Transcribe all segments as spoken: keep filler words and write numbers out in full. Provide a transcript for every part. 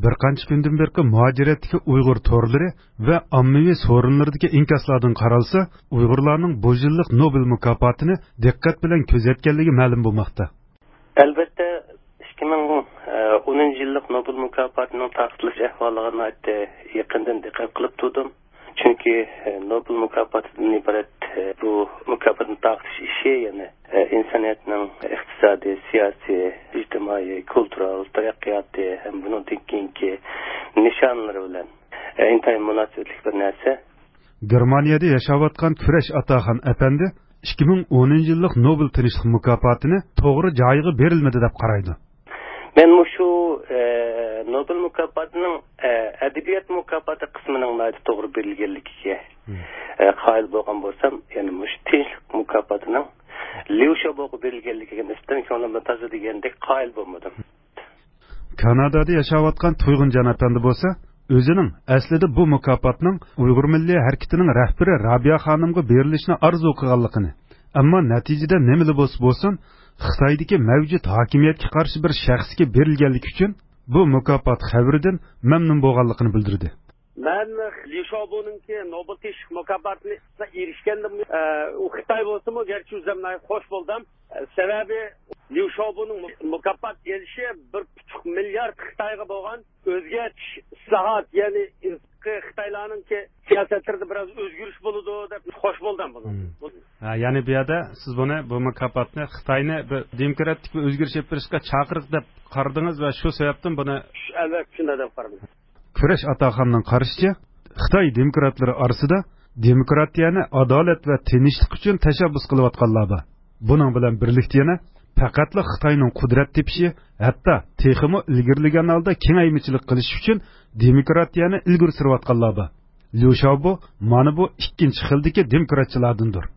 بىر قانچە كۈندىن بېرىقى مۇھاجىرەتتىكى ئۇيغۇر تورلىرى ۋە ئاممىۋى سورۇنلىرىدىكى ئىنكاسلاردىن قارالسا، ئۇيغۇرلارنىڭ بۇ يىللىق نوبېل مۇكاپاتىنى دىققەت بىلەن كۆزەتكەنلىكى مەلۇم بولماقتا. ئەلۋەتتە، ئىككى مىڭ ئونىنچى يىللىق نوبېل مۇكاپاتىنىڭ تارقىتىلىش ئەھۋالىغا ناھايىتى يېقىندىن دىققەت قىلىپ تۇردۇم. چۈنكى، ئە، نوبېل مۇكاپاتىدىن ئىبارەت، ئە، بۇ مۇكاپاتنى تارقىتىش ئىشى، يەنى، ئە، ئىنسانىيەتنىڭ ئىقتىسادىي، سىياسىي، ئىجتىمائىي، كۇلتۇرال تەرەققىياتى ھەم بۇنىڭدىن كېيىنكى نىشانلىرى بىلەن، ئە، ئىنتايىن مۇناسىۋەتلىك بىر نەرسە. گېرمانىيەدە ياشاۋاتقان كۈرەش ئاتاخان ئەپەندى ئىككى مىڭ ئونىنچى يىللىق نوبېل تىنچلىق مۇكاپاتىنى توغرا جايىغا بېرىلمىدى دەپ قارايدۇ. مەن مۇشۇ، ئە، نوبېل مۇكاپاتىنىڭ، ئە، ئەدەبىيات مۇكاپاتى قىسمىنىڭ ناھايىتى توغرا بېرىلگەنلىكىگە، مم. ئە، قايىل بولغان بولسام، يەنە مۇشۇ تىنچلىق مۇكاپاتىنىڭ ليۇ شياۋبوغا بېرىلگەنلىكىگە نىسبەتەن كۆڭلۈمدە تازا دېگەندەك قايىل بولمىدىم. كانادادا ياشاۋاتقان تۇيغۇنجان ئەپەندى بولسا، ئۆزىنىڭ ئەسلىدە بۇ مۇكاپاتنىڭ ئۇيغۇر مىللىي ھەرىكىتىنىڭ رەھبىرى رابىيە خانىمغا بېرىلىشىنى ئارزۇ قىلغانلىقىنى، ئەمما نەتىجىدە نېمىلا بولسا بولسۇن، خىتايدىكى مەۋجۇت ھاكىمىيەتكە قارشى بىر شەخسكە بېرىلگەنلىكى ئۈچۈن بۇ مۇكاپات خەۋىرىدىن مەمنۇن بولغانلىقىنى بىلدۈردى. مەن ليۇ شياۋبونىڭكى نوبېل تىنچلىق مۇكاپاتىنى ئېرىشكەندىن، ئە، ئۇ خىتاي بولسىمۇ، گەرچە ئۆزۈم ناھايىتى خوش بولدۇم. ئە، سەۋەبى ليۇ شياۋبونىڭ مۇ-، مۇكاپات ئېلىشى بىر پۈتۈك مىليارد خىتايغا بولغان ئۆزگەرتىش، ئىسلاھات، يەنى خىتايلارنىڭكى سىياسەتلىرىدە بىراز ئۆزگىرىش بولىدۇ دەپ خوش بولدۇم بۇنىڭ. مم. ھە، يەنى بۇ يەردە سىز بۇنى، بۇ مۇكاپاتنى خىتاينى بىر دېموكراتىك بىر ئۆزگىرىش ئېلىپ بېرىشقا چاقىرىق دەپ قارىدىڭىز ۋە شۇ سەۋەبتىن بۇنى. ئەلۋەتتە، شۇنداق دەپ قارىدىم. كۈرەش ئاتاخاننىڭ قارىشىچە، خىتاي دېموكراتلىرى ئارىسىدا دېموكراتىيەنى ئادالەت ۋە تىنچلىق ئۈچۈن تەشەببۇس قىلىۋاتقانلار بار. بۇنىڭ بىلەن بىرلىكتە يەنە پەقەتلا خىتاينىڭ قۇدرەت تېپىشى، ھەتتا تېخىمۇ ئىلگىرىلىگەن ھالدا كېڭەيمىچىلىك قىلىش ئۈچۈن دېموكراتىيەنى ئىلگىرى سۈرۈۋاتقانلار بار. ليۇ شياۋبو مانا بۇ ئىككىنچى خىلدىكى دېموكراتچىلاردىندۇر.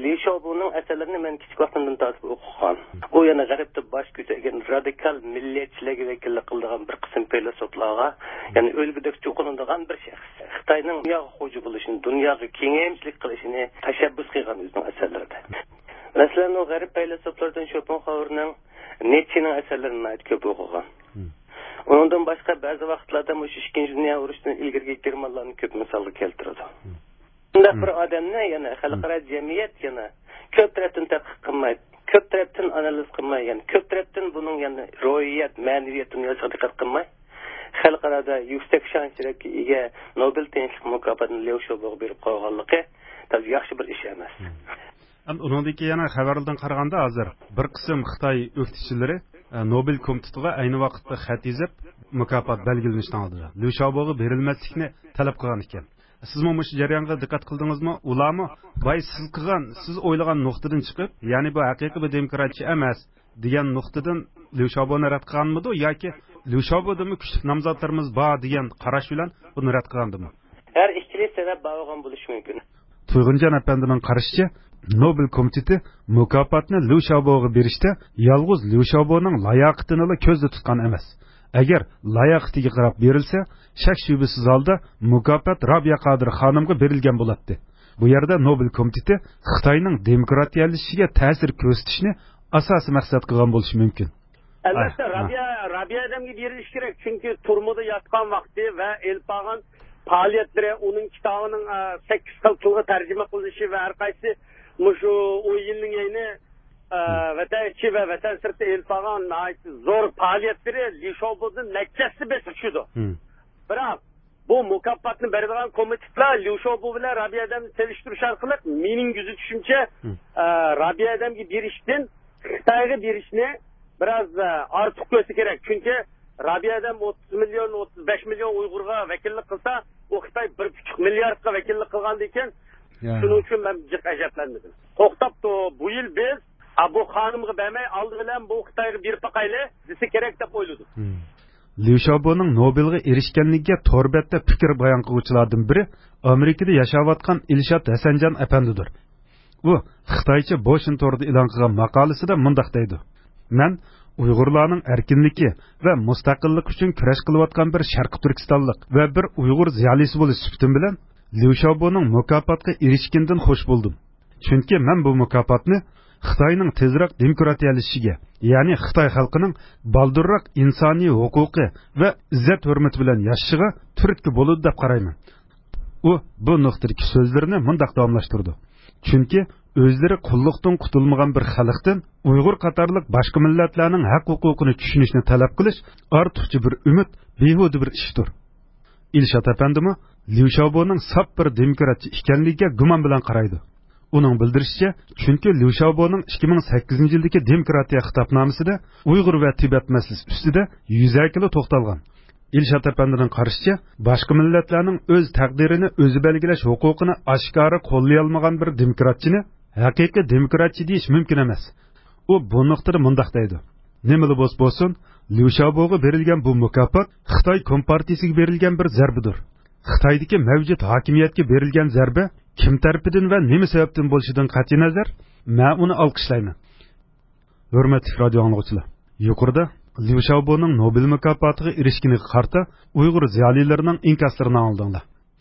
ليۇ شياۋبونىڭ ئەسەرلىرىنى مەن كىچىك ۋاقتىمدىن تارتىپ ئوقۇغان. ئۇ يەنە غەربتە باش كۆتۈرگەن رادىكال مىللەتچىلەرگە ۋەكىللىك قىلىدىغان بىر قىسىم پەيلاسوپلارغا، يەنى ئۈلگىدەك چوقۇنىدىغان بىر شەخس. خىتاينىڭ دۇنياغا خوجا بولۇشىنى، دۇنياغا كېڭەيمىچىلىك قىلىشىنى تەشەببۇس قىلغان ئۆزىنىڭ ئەسەرلىرىدە. مەسىلەن، ئۇ غەرب پەيلاسوپلىرىدىن شوپېنخاۋېرنىڭ، نىتشېنىڭ ئەسەرلىرىنى ناھايىتى كۆپ ئوقۇغان. مم. ئۇنىڭدىن باشقا بەزى ۋاقىتلاردا مۇشۇ ئىككىنچى دۇنيا ئۇرۇشىدىن ئىلگىرىكى گېرمانلارنى كۆپ مىسالغا كەلتۈرىدۇ. مم. بۇنداق بىر ئادەمنى يەنە خەلقئارا جەمئىيەت يەنە كۆپ تەرەپتىن تەتقىق قىلماي، كۆپ تەرەپتىن ئانالىز قىلماي، يەنى كۆپ تەرەپتىن بۇنىڭ يەنە روھىيەت، مەنىۋىيەت دۇنياسىغا دىققەت قىلماي، خەلقئارادا يۈكسەك شان-شەرەپكە ئىگە نوبېل تىنچلىق مۇكاپاتىنى ليۇ شياۋبوغا بېرىپ قويغانلىقى تازا ياخشى بىر ئىش ئەمەس. مم. ئەمدى ئۇنىڭدىن كېيىن يەنە خەۋەرلەردىن قارىغاندا، ھازىر بىر قىسىم خىتاي ئۆكتىچىلىرى، ئە، نوبېل كومىتېتىغا ئەينى ۋاقىتتا خەت يېزىپ، مۇكاپات بەلگىلىنىشنىڭ ئالدىدا ليۇ شياۋبوغا بېرىلمەسلىكنى تەلەپ قىلغان ئىكەن. سىزمۇ مۇشۇ جەريانغا دىققەت قىلدىڭىزمۇ؟ ئۇلارمۇ، باي، سىز قىلغان، سىز ئويلىغان نۇقتىدىن چىقىپ، يەنى بۇ ھەقىقىي بىر دېموكراتچى ئەمەس دېگەن نۇقتىدىن ليۇ شياۋبونى رەت قىلغانمىدۇ ياكى ليۇ شياۋبودىنمۇ كۈچلۈك نامزاتلىرىمىز بار دېگەن قاراش بىلەن بۇنى رەت قىلغاندىمۇ؟ ھەر ئىككىلى سەۋەب بار بولغان بولۇشى مۇمكىن. تۇيغۇنجان ئەپەندىنىڭ قارىشىچە، نوبېل كومىتېتى مۇكاپاتنى ليۇ شياۋبوغا بېرىشتە يالغۇز ليۇ شياۋبونىڭ لاياقىتىنىلا كۆزدە تۇتقان ئەمەس. ئەگەر لاياقىتىگە قاراپ بېرىلسە، شەك-شۈبھىسىز ھالدا مۇكاپات رابىيە قادىر خانىمغا بېرىلگەن بولاتتى. بۇ يەردە نوبېل كومىتېتى خىتاينىڭ دېموكراتىيەلىشىشىگە تەسىر كۆرسىتىشنى ئاساسىي مەقسەت قىلغان بولۇشى مۇمكىن. ئەلۋەتتە، ھە، ھە. رابىيە، رابىيە ئادەمگە بېرىلىشى كېرەك، چۈنكى تۈرمىدە ياتقان ۋاقتى ۋە ئېلىپ بارغان پائالىيەتلىرى، ئۇنىڭ كىتابىنىڭ، ئە، سەككىز خىل تىلغا تەرجىمە قىلىنىشى ۋە ھەر قايسى مۇشۇ ئون يىلنىڭ يەنى، ئە، ھە. ۋەتەن ئىچى ۋە ۋەتەن سىرتى ئېلىپ بارغان ناھايىتى زور پائالىيەتلىرى ليۇ شياۋبودىن نەچچىسى بېسىپ چۈشىدۇ. ھە. بىراق، بۇ مۇكاپاتنى بېرىدىغان كومىتېتلار ليۇ شياۋبو بىلەن رابىيە ئادەمنى سېلىشتۇرۇش ئارقىلىق، مېنىڭ كۆزىتىشىمچە، ھە. ئە، رابىيە ئادەمگە بېرىشتىن خىتايغا بېرىشنى بىراز، ئە، ئارتۇق كۆرسە كېرەك. چۈنكى رابىيە ئادەم ئوتتۇز مىليون، ئوتتۇز بەش مىليون ئۇيغۇرغا ۋەكىللىك قىلسا، ئۇ خىتاي بىر پۈتۈك مىلياردقا ۋەكىللىك قىلغاندىكىن، يا. شۇنىڭ ئۈچۈن مەن جىق ئەجەبلەنمىدىم. توختاپ تۇر، بۇ يىل بىز، ئا، بۇ خانىمغا بەرمەي، ئالدى بىلەن بۇ خىتايغا بېرىپ باقايلى دېسە كېرەك دەپ ئويلىدىم. ھە. ليۇ شياۋبونىڭ نوبېلغا ئېرىشكەنلىكىگە تور بەتتە پىكىر بايان قىلغۇچىلاردىن بىرى ئامېرىكىدا ياشاۋاتقان ئىلشات ھەسەنجان ئەپەندىدۇر. ئۇ خىتايچە بوشىن تورىدا ئېلان قىلغان ماقالىسىدە مۇنداق دەيدۇ: «مەن ئۇيغۇرلارنىڭ ئەركىنلىكى ۋە مۇستەقىللىقى ئۈچۈن كۈرەش قىلىۋاتقان بىر شەرقىي تۈركىستانلىق ۋە بىر ئۇيغۇر زىيالىيسى بولۇش سۈپىتىم بىلەن، ليۇ شياۋبونىڭ مۇكاپاتقا ئېرىشكىنىدىن خوش بولدۇم. چۈنكى مەن بۇ مۇكاپاتنى خىتاينىڭ تېزراق دېموكراتىيەلىشىشىگە، يەنى خىتاي خەلقىنىڭ بالدۇرراق ئىنسانىي ھوقۇقى ۋە ئىززەت-ھۆرمىتى بىلەن ياشىشىغا تۈرتكە بولىدۇ دەپ قارايمەن. ئۇ بۇ نۇقتىدىكى سۆزلىرىنى مۇنداق داۋاملاشتۇرىدۇ: چۈنكى ئۆزلىرى قۇللۇقتىن قۇتۇلمىغان بىر خەلقتىن ئۇيغۇر قاتارلىق باشقا مىللەتلەرنىڭ ھەق-ھوقۇقىنى چۈشىنىشنى تەلەپ قىلىش ئارتۇقچە بىر ئۈمىد، بىھۇدە بىر ئىشتۇر. ئىلشات ئەپەندىمۇ ليۇ شياۋبونىڭ ساپ بىر دېموكراتچى ئىكەنلىكىگە گۇمان بىلەن قارايدۇ. ئۇنىڭ بىلدۈرۈشىچە، چۈنكى ليۇ شياۋبونىڭ ئىككى مىڭ سەككىزىنچى يىلدىكى دېموكراتىيە خىتابنامىسىدە ئۇيغۇر ۋە تىبەت مەسىلىسى ئۈستىدە يۈزەكىلا توختالغان. ئىلشات ئەپەندىنىڭ قارىشىچە، باشقا مىللەتلەرنىڭ ئۆز تەقدىرىنى ئۆزى بەلگىلەش ھوقۇقىنى ئاشكارا قوللىيالمىغان بىر دېموكراتچىنى ھەقىقىي دېموكراتچى دېيىش مۇمكىن ئەمەس. ئۇ بۇ نۇقتىدا مۇنداق دەيدۇ: نېمىلا بولسا بولسۇن، ليۇ شياۋبوغا بېرىلگەن بۇ مۇكاپات خىتاي كومپارتىيىسىگە بېرىلگەن بىر زەربىدۇر. خىتايدىكى مەۋجۇت ھاكىمىيەتكە بېرىلگەن زەربە كىم تەرىپىدىن ۋە نېمە سەۋەبتىن بولۇشىدىن قەتئىينەزەر، مەن ئۇنى ئالقىشلايمەن. ھۆرمەتلىك رادىيو ئاڭلىغۇچىلار، يۇقىرىدا ليۇ شياۋبونىڭ نوبېل مۇكاپاتىغا ئېرىشكىنىگە قارىتا ئۇيغۇر زىيالىيلىرىنىڭ ئىنكاسلىرىنى ئاڭلىدىڭلار.